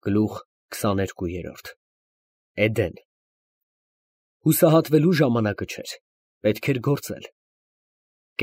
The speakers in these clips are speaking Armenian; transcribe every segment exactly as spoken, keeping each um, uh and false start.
Գլուխ քսաներկու։ Էդեն։ Հուսահատվելու ժամանակը չէր, պետք էր գործել։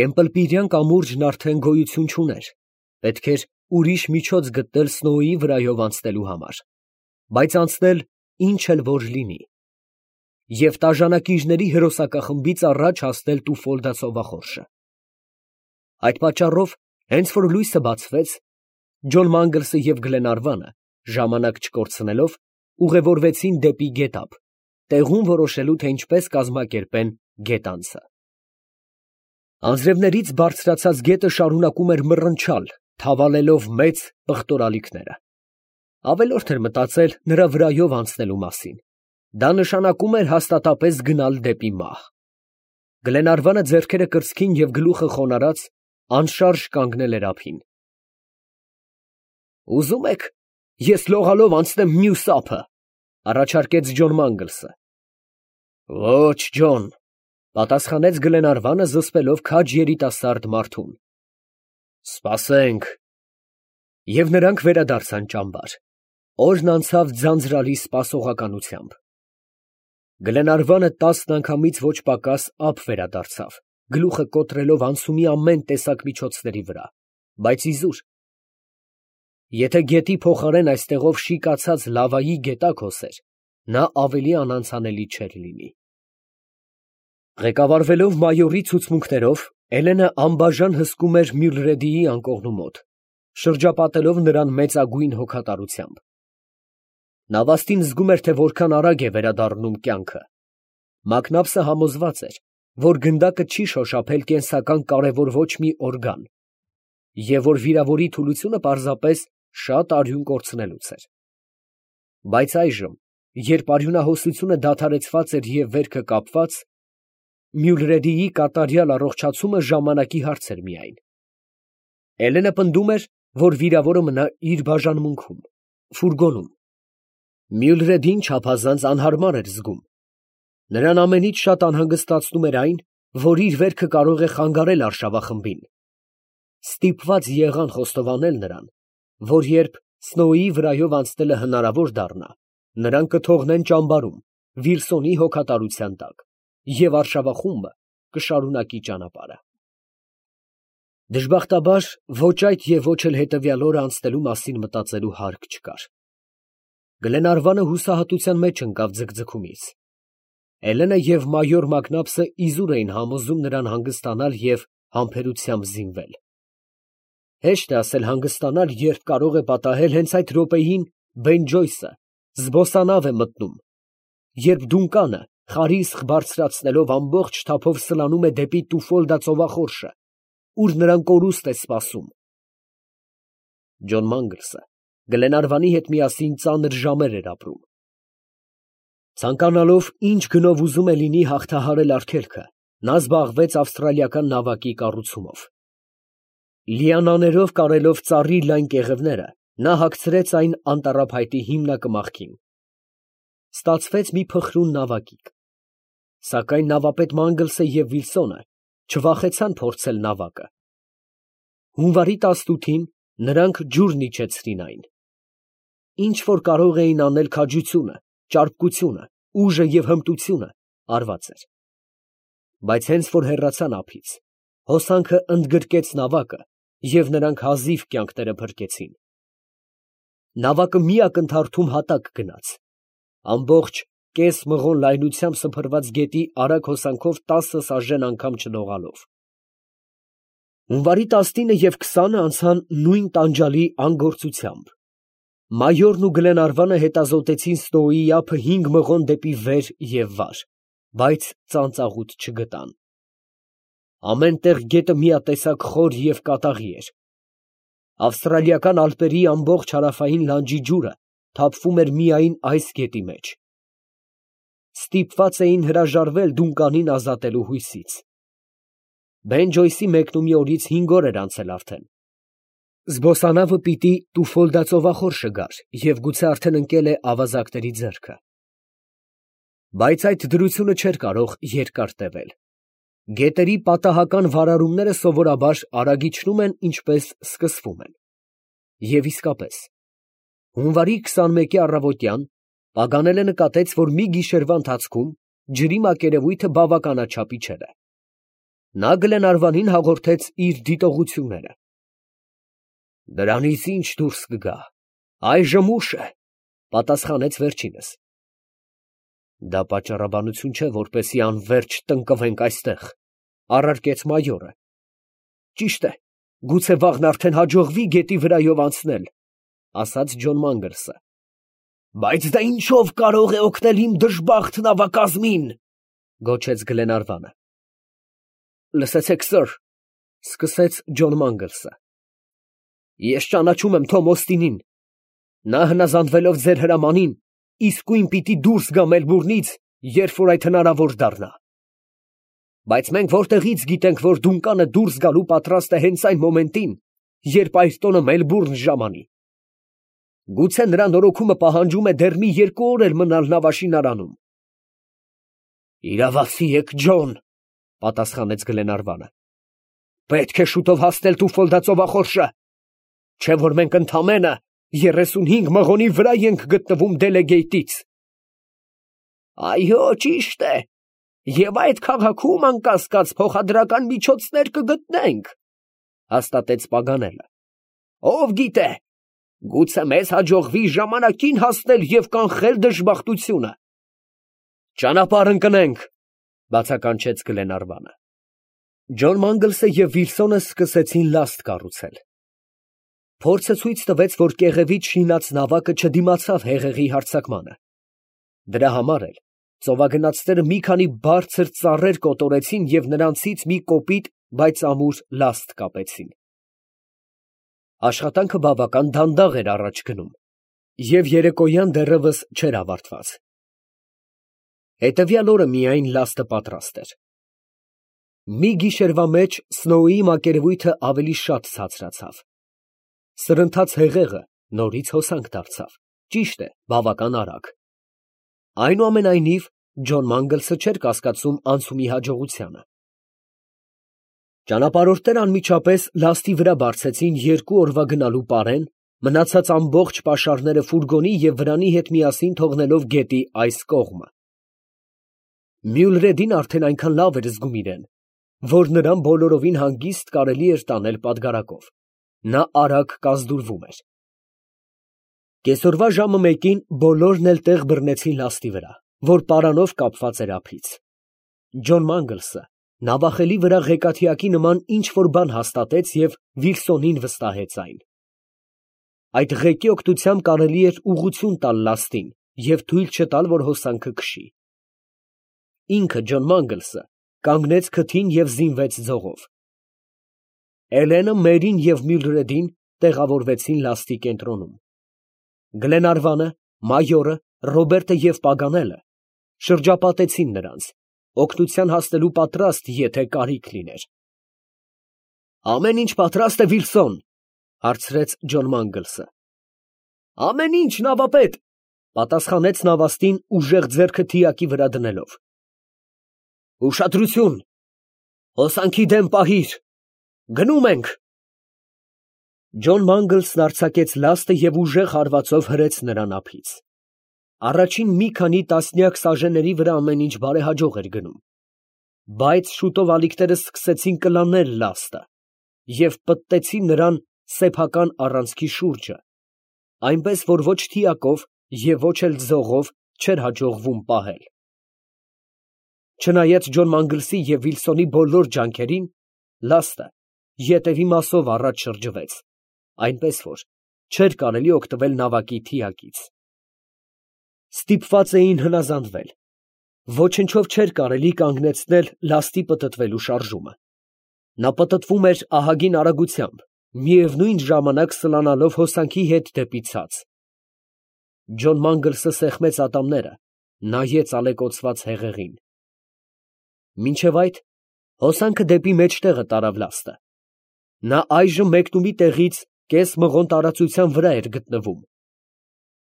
Կեմպլպիրյան կամուրջն արդեն գոյություն չուներ, պետք էր ուրիշ միջոց գտնել Սնոուի վրայով անցնելու համար, բայց անցնել ինչ էլ որ լինի, և տաժանակիչների հրոսակախմբից առաջ հասնել Տուֆոլդա ծովախորշը։ Այդ պատճառով, հենց որ լույսը բացվեց, Ջոն Մանգլսը և Գլենարվանը, ժամանակ չկորցնելով, ուղևորվեցին դեպի գետափ, տեղում որոշելու, թե ինչպես կազմակերպեն գետանցը։ Անձրևներից բարձրացած գետը շարունակում էր մռնչալ, թավալելով մեծ պղտորալիքները։ Ավելորդ էր մտածել նրա վրայով անցնելու մասին, դա նշանակում էր հաստատապես գնալ դեպի մահ։ Գլենարվանը ձեռքերը կրծքին և գլուխը խոնարհած, անշարժ կանգնել էր ափին։ «Ուզում եք, ես լողալով անցնեմ մյուս ափը, ֊ առաջարկեց Ջոն Մանգլսը։ ֊ Ոչ, Ջոն, ֊ պատասխանեց Գլենարվանը զսպելով քաջ երիտասարդ մարդուն։ ֊ Սպասենք։ Եվ նրանք վերադարձան ճամբար։ Օրն անցավ ձանձրալի սպասողականությամբ։ Գլենարվանը տասն անգամից ոչ պակաս ափ վերադարձավ, գլուխը կոտրելով անցումի ամեն տեսակ միջոցների վրա, բայց իզուր։ Եթե գետի փոխարեն այստեղով շիկացած լավայի գետակ հոսեր, նա ավելի անանցանելի չէր լինի։ Ղեկավարվելով մայորի ցուցմունքներով, Էլենը անբաժան հսկում էր Մյուլրեդիի անկողնու մոտ, շրջապատելով նրան մեծագույն հոգատարությամբ։ Նավաստին զգում էր, թե որքան արագ է վերադառնում կյանքը։ Մակնաբսը համոզված էր, որ գնդակը չի շոշափել կենսական կարևոր ոչ մի օրգան, և որ վիրավորի թուլությունը պարզապես շատ արյուն կորցնելուց էր։ Բայց այժմ, երբ արյունահոսությունը դադարեցված էր և վերքը կապված, Մյուլրեդիի կատարյալ առողջացումը ժամանակի հարց էր միայն։ Էլենը պնդում էր, որ վիրավորը մնա իր բաժանմունքում, ֆուրգոնում։ Մյուլրեդին չափազանց անհարմար էր զգում։ Նրան ամենից շատ անհանգստացնում էր այն, որ իր վերքը կարող է խանգարել արշավախմբին։ Ստիպված եղան խոստովանել նրան, որ երբ Սնոուի վրայով անցնելը հնարավոր դառնա, նրան կթողնեն ճամբարում, Վիլսոնի հոգատարության տակ, և արշավախումբը կշարունակի ճանապարհը։ Դժբախտաբար, ոչ այդ և ոչ էլ հետևյալ օրը անցնելու մասին մտածելու հարկ չկար։ Գլենարվանը հուսահատության մեջ ընկավ ձգձգումից։ Էլենը և մայոր Մակնաբսը իզուր էին համոզում նրան հանգստանալ և համբերությամբ զինվել։ Հեշտ է ասել հանգստանալ, երբ կարող է պատահել հենց այդ րոպեին Բեն Ջոյսը զբոսանավ է մտնում, երբ Դունկանը խարիսխ բարձրացնելով ամբողջ թափով սլանում է դեպի Տուֆոլդա ծովախորշը, ուր նրան կորուստ է սպասում։ Ջոն Մանգլսը Գլենարվանի հետ միասին ծանր ժամեր էր ապրում։ Ցանկանալով ինչ գնով ուզում է լինի հաղթահարել արգելքը, նա զբաղվեց ավստրալիական նավակի կառուցումով։ Լիանաներով կարելով ծառի լայն կեղևները, նա հագցրեց այն անտառափայտի հիմնակմախքին։ Ստացվեց մի փխրուն նավակիկ։ Սակայն նավապետ Մանգլսը և Վիլսոնը չվախեցան փորձել նավակը։ Հունվարի տասնութին նրանք ջուրն իջեցրին այն։ Ինչ որ կարող էին անել քաջությունը, ճարպկությունը, ուժը և հմտությունը արված էր։ Բայց հենց որ հեռացան ափից, հոսանքը ընդգրկեց նավակը, և նրանք հազիվ կյանքները փրկեցին։ Նավակը մի ակնթարթում հատակ գնաց։ Ամբողջ կես մղոն լայնությամբ սփռված գետի արագ հոսանքով տասը սաժեն անգամ չլողալով։ Հունվարի տասնինը և քսանը անցան նույն տանջալի անգործությամբ։ Մայորն ու Գլենարվանը հետազոտեցին Սնոուի ափը հինգ մղոն դեպի վեր և վար, բայց ծանծաղուտ չգտան։ Ամեն տեղ գետը միատեսակ խոր և կատաղի էր։ Ավստրալիական ալպերի ամբողջ հարավային լանջի ջուրը թափվում էր միայն այս գետի մեջ։ Ստիպված էին հրաժարվել Դունկանին ազատելու հույսից։ Բեն Ջոյսի մեկնումի օրից հինգ օր էր անցել արդեն։ Զբոսանավը պիտի Տուֆոլդա ծովախորշը գար և գուցե արդեն ընկել է ավազակների ձեռքը։ Բայց այդ դրությունը չէր կարող երկար տևել։ Գետերի պատահական վարարումները սովորաբար արագ իջնում են, ինչպես սկսվում են։ Եվ իսկապես, Հունվարի քսանմեկի առավոտյան Պագանելը նկատեց, որ մի գիշերվա ընթացքում ջրի մակերևույթը բավականաչափ իջել է։ Նա Գլենարվանին հաղորդեց իր դիտողությունները։ «Դրանից ի՞նչ դուրս կգա, այժմ ուշ է», պատասխանեց վերջինս։ «Դա պատճառաբանություն չէ, որպեսզի անվերջ տնկվենք այստեղ», առարկեց մայորը։ «Ճիշտ է, գուցե վաղն արդեն հաջողվի գետի վրայով անցնել», ասաց Ջոն Մանգլսը։ «Բայց դա ինչով կարող է օգնել իմ դժբախտ նավակազմին», գոչեց Գլենարվանը։ «Լսեցեք, սըր», սկսեց Ջոն Մանգլսը, «ես ճանաչում եմ Թոմ Օստինին. նա հնազանդվելով ձեր հրամանին, իսկույն պիտի դուրս գա Մելբուրնից, երբ որ այդ հնարավոր դառնա։ Բայց մենք որտեղից գիտենք, որ Դունկանը դուրս գալու պատրաստ է հենց այն մոմենտին, երբ Այրտոնը Մելբուրն ժամանի։ Գուցե նրա նորոգումը պահանջում է դեռ մի երկու օր էլ մնալ նավաշինարանում»։ «Իրավացի եք, Ջոն», պատասխանեց Գլենարվանը։ «Պետք է շուտով հասնել Տուֆոլդա ծովախորշը, չէ որ մենք ընդամենը երեսունհինգ մղոնի վրա ենք գտնվում Դելեգեյթից»։ «Այո, ճիշտ է, և այդ քաղաքում անկասկած փոխադրական միջոցներ կգտնենք», հաստատեց Պագանելը։ «Ով գիտե, գուցե մեզ հաջողվի ժամանակին հասնել և կանխել դժբախտությունը»։ «Ճանապարհ ընկնենք», բացականչեց Գլենարվանը։ Ջոն Մանգլսը և Վիլսոնը սկսեցին լաստ կառուցել։ Փորձը ցույց տվեց, որ կեղևից շինած նավակը չդիմացավ հեղեղի հարձակմանը։ Դրա համար էլ ծովագնացները մի քանի բարձր ծառեր կոտորեցին և նրանցից մի կոպիտ, բայց ամուր լաստ կապեցին։ Աշխատանքը բավական դանդաղ էր առաջ գնում, և երեկոյան դեռևս չէր ավարտված։ Հետևյալ օրը միայն լաստը պատրաստ էր։ Մի գիշերվա մեջ Սնոուի մակերևույթը ավելի շատ ցածրացավ։ Սրընթաց հեղեղը նորից հոսանք դարձավ, ճիշտ է, բավական արագ։ Այնուամենայնիվ, Ջոն Մանգլսը չէր կասկածում անցումի հաջողությանը։ Ճանապարհորդները անմիջապես լաստի վրա բարձեցին երկու օրվա գնալու պարեն, մնացած ամբողջ պաշարները ֆուրգոնի և վրանի հետ միասին թողնելով գետի այս կողմը։ Մյուլրեդին արդեն այնքան լավ էր զգում իրեն, որ նրան բոլորովին հանգիստ կարելի էր տանել պատգարակով։ Նա արագ կազդուրվում էր։ Կեսօրվա ժամը մեկին բոլորն էլ տեղ բռնեցին լաստի վրա, որ պարանով կապված էր ափից։ Ջոն Մանգլսը նավախելի վրա ղեկաթիակի նման ինչ֊որ բան հաստատեց և Վիլսոնին վստահեց այն։ Այդ ղեկի օգնությամբ կարելի էր ուղղություն տալ լաստին և թույլ չտալ, որ հոսանքը քշի։ Ինքը Ջոն Մանգլսը կանգնեց քթին և զինվեց ձողով։ Էլենը, Մերին և Մյուլրեդին տեղավորվեցին լաստի կենտրոնում։ Գլենարվանը, մայորը, Ռոբերտը և Պագանելը շրջապատեցին նրանց, օգնության հասնելու պատրաստ, եթե կարիք լիներ։ «Ամեն ինչ պատրաստ է, Վիլսոն», հարցրեց Ջոն Մանգլսը։ «Ամեն ինչ, նավապետ», պատասխանեց նավաստին ուժեղ ձեռքը թիակի վրա դնելով։ «Ուշադրություն, հոսանքի դեմ պահիր, գնում ենք»։ Ջոն Մանգլսն արձակեց լաստը և ուժեղ հարվածով հրեց նրան ափից։ Առաջին մի քանի տասնյակ սաժենների վրա ամեն ինչ բարեհաջող էր գնում, բայց շուտով ալիքները սկսեցին կլանել լաստը և պտտեցին նրան սեփական առանցքի շուրջը, այնպես որ ոչ թիակով և ոչ էլ ձողով չէր հաջողվում պահել։ Չնայած Ջոն Մանգլսի և Վիլսոնի բոլոր ջանքերին, լաստը ետևի մասով առաջ շրջվեց, այնպես որ չէր կարելի օգտվել նավակի թիակից։ Ստիպված էին հնազանդվել։ Ոչնչով չէր կարելի կանգնեցնել լաստի պտտվելու շարժումը։ Նա պտտվում էր ահագին արագությամբ, միևնույն ժամանակ սլանալով հոսանքի հետ դեպի ցած։ Ջոն Մանգլսը սեղմեց ատամները, նայեց ալեկոծված հեղեղին։ Մինչև այդ հոսանքը դեպի մեջտեղը տարավ լաստը։ Նա այժմ մեկնումի տեղից կես մղոն տարածության վրա էր գտնվում։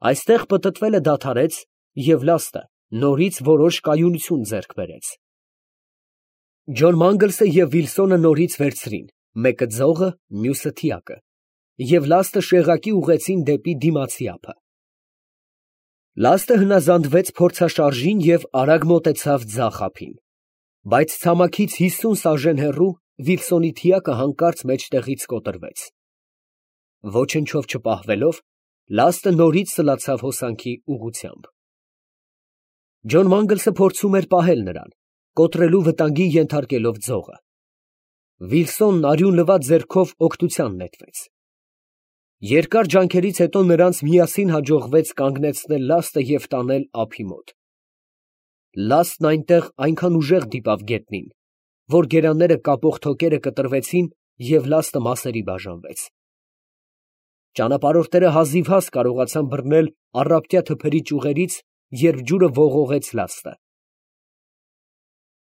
Այստեղ պտտվելը դադարեց, և լաստը նորից որոշ կայունություն ձեռք բերեց։ Ջոն Մանգլսը և Վիլսոնը նորից վերցրին, մեկը ձողը, մյուսը թիակը, և լաստը շեղակի ուղղեցին դեպի դիմացի ափը։ Լաստը հնազանդվեց փորձաշարժին և արագ մոտեցավ ձախ ափին, բայց ցամաքից հիսուն սաժեն հեռու Վիլսոնի թիակը հանկարծ մեջտեղից կոտրվեց։ Ոչնչով չպահվելով, լաստը նորից սլացավ հոսանքի ուղղությամբ։ Ջոն Մանգլսը փորձում էր պահել նրան, կոտրելու վտանգի ենթարկելով ձողը։ Վիլսոնն արյունլված ձեռքով օգնության նետվեց։ Երկար ջանքերից հետո նրանց միասին հաջողվեց կանգնեցնել լաստը և տանել ափի մոտ։ Լաստն այնտեղ այնքան ուժեղ դիպավ գետնին, որ գերանները կապող թոկերը կտրվեցին և լաստը մասերի բաժանվեց։ Ճանապարհորդները հազիվհազ կարողացան բռնել առապտյա թփերի ճյուղերից, երբ ջուրը ողողեց լաստը։